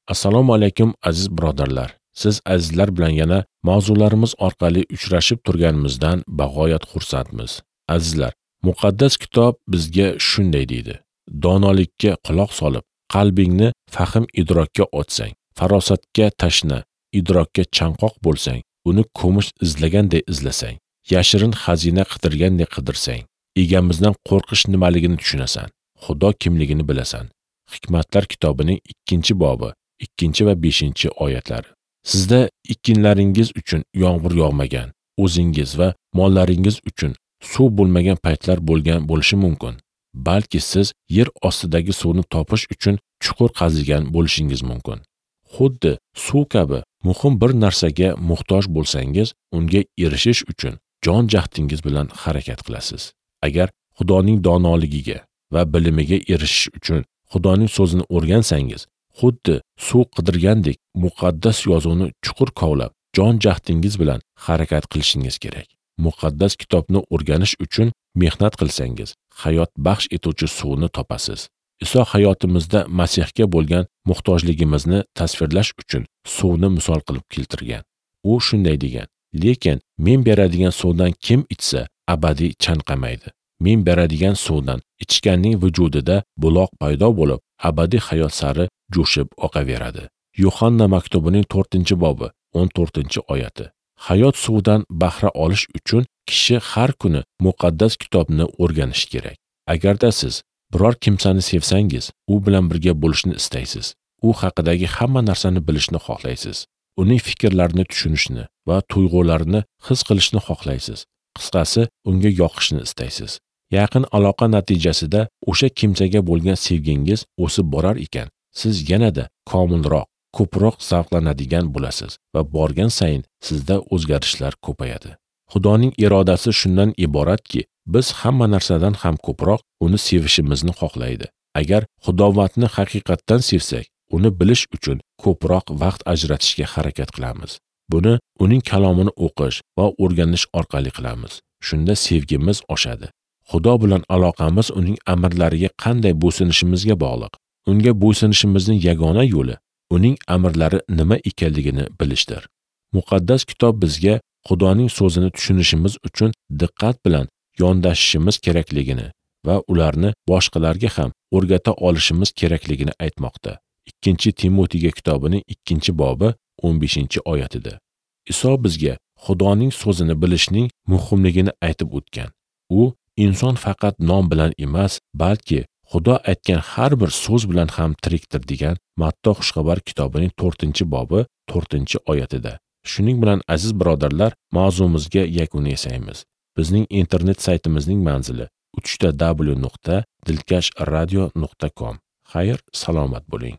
Assalomu alaykum aziz birodarlar. Siz azizlar bilan yana mavzularimiz orqali uchrashib turganimizdan bag'oyat xursandmiz. Azizlar, muqaddas kitob bizga shunday deydi: donolikka quloq solib, qalbingni fahm idrokka ochsang, farosatga tashna, idrokka chanqoq bo'lsang, uni kumush izlaganday izlasang, yashirin xazina qidirganday qidirsang, egamizdan qo'rqish nimaligini tushunasan, Xudo kimligini bilasan. Hikmatlar kitobining 2-bobi, 2 va 5 oyatlari. Sizda ekinlaringiz uchun yomg'ir yog'magan, o'zingiz va mollaringiz uchun suv bo'lmagan paytlar bo'lgan bo'lishi mumkin. Balki siz yer ostidagi suvni topish uchun chuqur qazigan bo'lishingiz mumkin. Xuddi suv kabi muhim bir narsaga muhtoj bo'lsangiz, unga erishish uchun jon jahdingiz bilan harakat qilasiz. Agar Xudoning donoligiga va bilimiga erishish uchun Xudoning so'zini o'rgansangiz, xuddi suv qidirgandek muqaddas yozuvni chuqur kovlab, jon jahdingiz bilan harakat qilishingiz kerak. Muqaddas kitobni o'rganish uchun mehnat qilsangiz, hayot baxsh etuvchi suvni topasiz. Iso hayotimizda Masihga bo'lgan muhtojligimizni tasvirlash uchun suvni misol qilib keltirgan. U shunday degan: lekin men beradigan suvdan kim ichsa, abadiy chanqamaydi. Men beradigan suvdan ichganning vujudida buloq paydo bo'lib, abadiy hayot sari jo'shib oqaveradi. Yuhanna maktubining 4-bobi, 14-oyati. Hayot suvidan bahra olish uchun kishi har kuni muqaddas kitobni o'rganishi kerak. Agarda siz biror kimsani sevsangiz, u bilan birga bo'lishni istaysiz. U haqidagi hamma narsani bilishni xohlaysiz. Uning fikrlarini tushunishni va tuyg'ularini his qilishni xohlaysiz. Qisqasi, unga yoqishni istaysiz. Yaqin aloqa natijasida o'sha kimsaga bo'lgan sevgingiz o'sib borar ekan, siz yanada komilroq, ko'proq zavqlanadigan bo'lasiz va borgan sayin sizda o'zgarishlar ko'payadi. Xudoning irodasi shundan iboratki, biz hamma narsadan ham ko'proq uni sevishimizni xohlaydi. Agar Xudovandni haqiqatdan sevsak, uni bilish uchun ko'proq vaqt ajratishga harakat qilamiz. Buni uning kalomini o'qish va o'rganish orqali qilamiz. Shunda sevgimiz oshadi. Xudo bilan aloqamiz uning amrlariga qanday bo'ysunishimizga bog'liq. Unga bo'ysunishimizning yagona yo'li uning amrlari nima ekanligini bilishdir. Muqaddas kitob bizga Xudoning so'zini tushunishimiz uchun diqqat bilan yondashishimiz kerakligini va ularni boshqalarga ham o'rgata olishimiz kerakligini aytmoqda. 2 Timotiyga kitobining 2-bobi 15-oyatida. Iso bizga Xudoning so'zini bilishning muhimligini aytib o'tgan. U inson faqat non bilan emas, balki Xudo aytgan har bir so'z bilan ham tirikdir degan Matto Xushxabar kitobining 4-bobi 4-oyatida. Shuning bilan aziz birodarlar, mavzumizga yakun yasaymiz. Bizning internet saytimizning manzili www.dilkashradio.com. Xayr, salomat bo'ling.